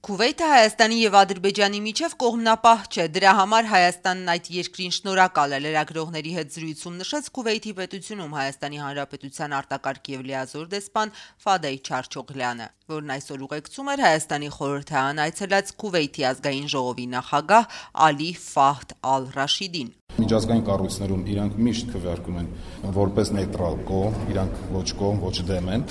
Քուվեյթը Հայաստանի եւ Ադրբեջանի միջև կողմնապահ չէ, դրա համար Հայաստանն այդ երկրին շնորհակալ է։ Լրագրողների հետ զրույցում նշեց Քուվեյթի պետությունում Հայաստանի Հանրապետության արտակարգ եւ լիազոր դեսպան Ֆադեյ Չարչօղլյանը, որն այսօր ուղեկցում էր Հայաստանի խորհրդարան այցելած Քուվեյթի ազգային ժողովի նախագահ Ալի Ֆահդ Ալ-Ռաշիդին։ Միջազգային կառույցներում իրանք միշտ քվեարկում են որպես նեյտրալ կողմ, իրանք ոչ կողմ, ոչ դեմ են,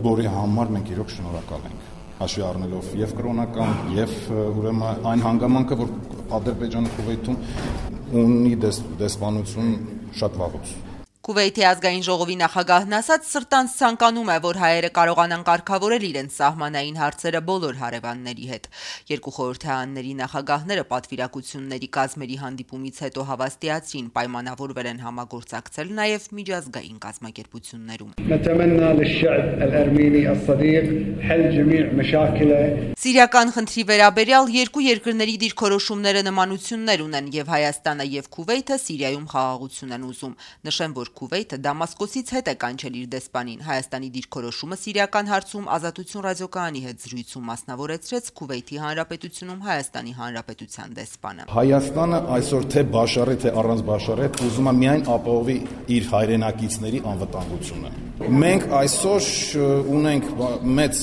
որի համար մենք իրոք շնորհակալ ենք։ Հաշվի առնելով եւ կրոնական, եւ ուրեմն այն հանգամանքը, որ Ադրբեջանը Քուվեյթում ունի դեսպանություն շատ վաղուց։ Քուվեյթի ազգային ժողովի նախագահն ասաց, սրտանց ցանկանում է, որ հայերը կարողանան կարգավորել իրենց սահմանային հարցերը բոլոր հարևանների հետ։ Երկու խորհրդարանների նախագահները պատվիրակությունների կազմերի հանդիպումից հետո հավաստիացրին, պայմանավորվել են համագործակցել նաև միջազգային կազմակերպություններում։ Սիրիական խնդրի վերաբերյալ երկու երկրների դիրքորոշումները նմանություններ ունեն, եւ Հայաստանը եւ Քուվեյթը Սիրիայում խաղաղություն են ուզում։ Նշեմ, որ Քուվեյթը Դամասկոսից հետ է կանչել իր դեսպանին։ Հայաստանի դիրքորոշումը սիրիական հարցում Ազատություն ռադիոկայանի հետ զրույցում մասնավորեցրեց Քուվեյթի Հանրապետությունում Հայաստանի Հանրապետության դեսպանը։ Հայաստանը այսօր թե Բաշարի, թե առանց Բաշարի ուզում է միայն ապահովի իր հայրենակիցների անվտանգությունը։ Մենք այսօր ունենք մեծ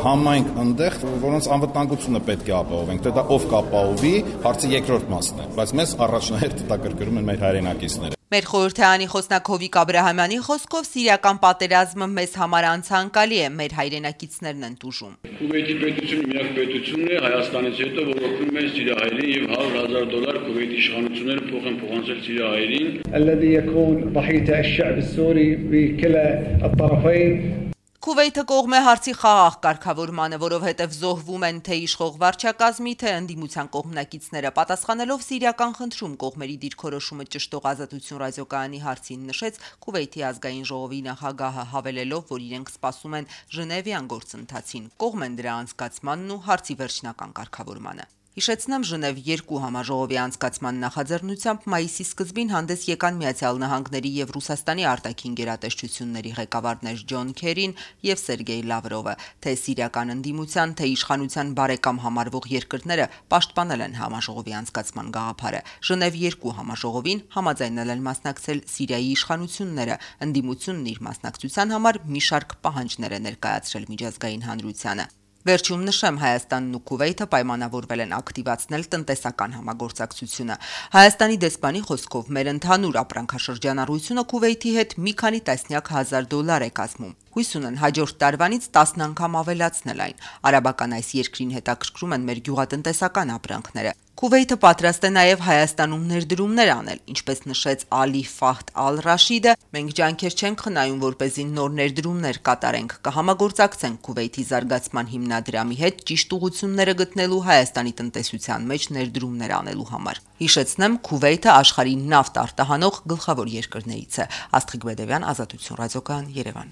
համայնք այնտեղ, որոնց անվտանգությունը պետք է ապահովենք։ Դա ով կապահովի, հարցի երկրորդ մասն է, բայց մեզ առաջնահերթ հետաքրքրում են մեր հայրենակիցները։ Մեր խորհրդարանի խոսնակ Հովիկ Աբրահամյանի խոսքով սիրիական պատերազմը մեզ համար անցանկալի է, մեր հայրենակիցներն են տուժում։ Քուվեյթի պետությունը միակ պետությունն է Հայաստանից հետո, որ օգնում է սիրիահայերին եւ $100,000 Քուվեյթի իշխանությունները փոխանցել սիրիահայերին։ الذي يكون ضحية الشعب السوري بكلا الطرفين Քուվեյթը կողմ է հարցի խաղաղ կարգավորմանը, որովհետև զոհվում են թե իշխող վարչակազմի, թե ընդդիմության կողմնակիցները։ Պատասխանելով սիրիական խնդրում կողմերի դիրքորոշումը ճշտող Ազատություն ռադիոկայանի հարցին նշեց Քուվեյթի ազգային ժողովի նախագահը, հավելելով, որ իրենք սպասում են Ժնևյան գործընթացին, կողմ են դրա անցկացմանն ու հարցի վերջնական կարգավորմանը։ Հիշեցնեմ, Ժնև 2 համաժողովի անցկացման նախաձեռնությամբ մայիսի սկզբին հանդես եկան Միացյալ Նահանգների եւ Ռուսաստանի արտաքին գերատեսչությունների ղեկավարներ Ջոն Քերին եւ Սերգեյ Լավրովը, թե սիրիական ընդդիմության, թե իշխանության բարեկամ համարվող երկրները պաշտպանել են համաժողովի անցկացման գաղափարը։ Ժնև 2 համաժողովին համաձայնել են մասնակցել Սիրիայի իշխանությունները, ընդդիմությունն իր մասնակցության համար մի շարք պահանջներ է ներկայացրել միջազգային հանրությանը։ Վերջում նշեմ, Հայաստանն ու Քուվեյթը պայմանավորվել են ակտիվացնել տնտեսական համագործակցությունը։ Հայաստանի դեսպանի խոսքով մեր ընդհանուր ապրանքաշրջանառությունը Քուվեյթի հետ մի քանի տասնյակ հազար $1,000 է կազմում։ Հույս ունեն հաջորդ տարվանից 10 անգամ ավելացնել այն։ Արաբական այս երկրին հետաքրքրում են մեր գյուղատնտեսական ապրանքները։ Քուվեյթը պատրաստ է նաև Հայաստանում ներդրումներ անել, ինչպես նշեց Ալի Ֆահդ Ալ-Ռաշիդը, մենք ջանքեր չենք խնայում, որպեսզի նոր ներդրումներ կատարենք, կհամագործակցենք Քուվեյթի զարգացման հիմնադրամի հետ ճիշտ ուղղությունները գտնելու Հայաստանի տնտեսության մեջ ներդրումներ անելու համար։ Հիշեցնեմ, Քուվեյթը աշխարհի նավթ արտահանող գլխավոր երկրներից է։ Աստղիկ Բեդևյան, Ազատություն ռադիոկայան, Երևան։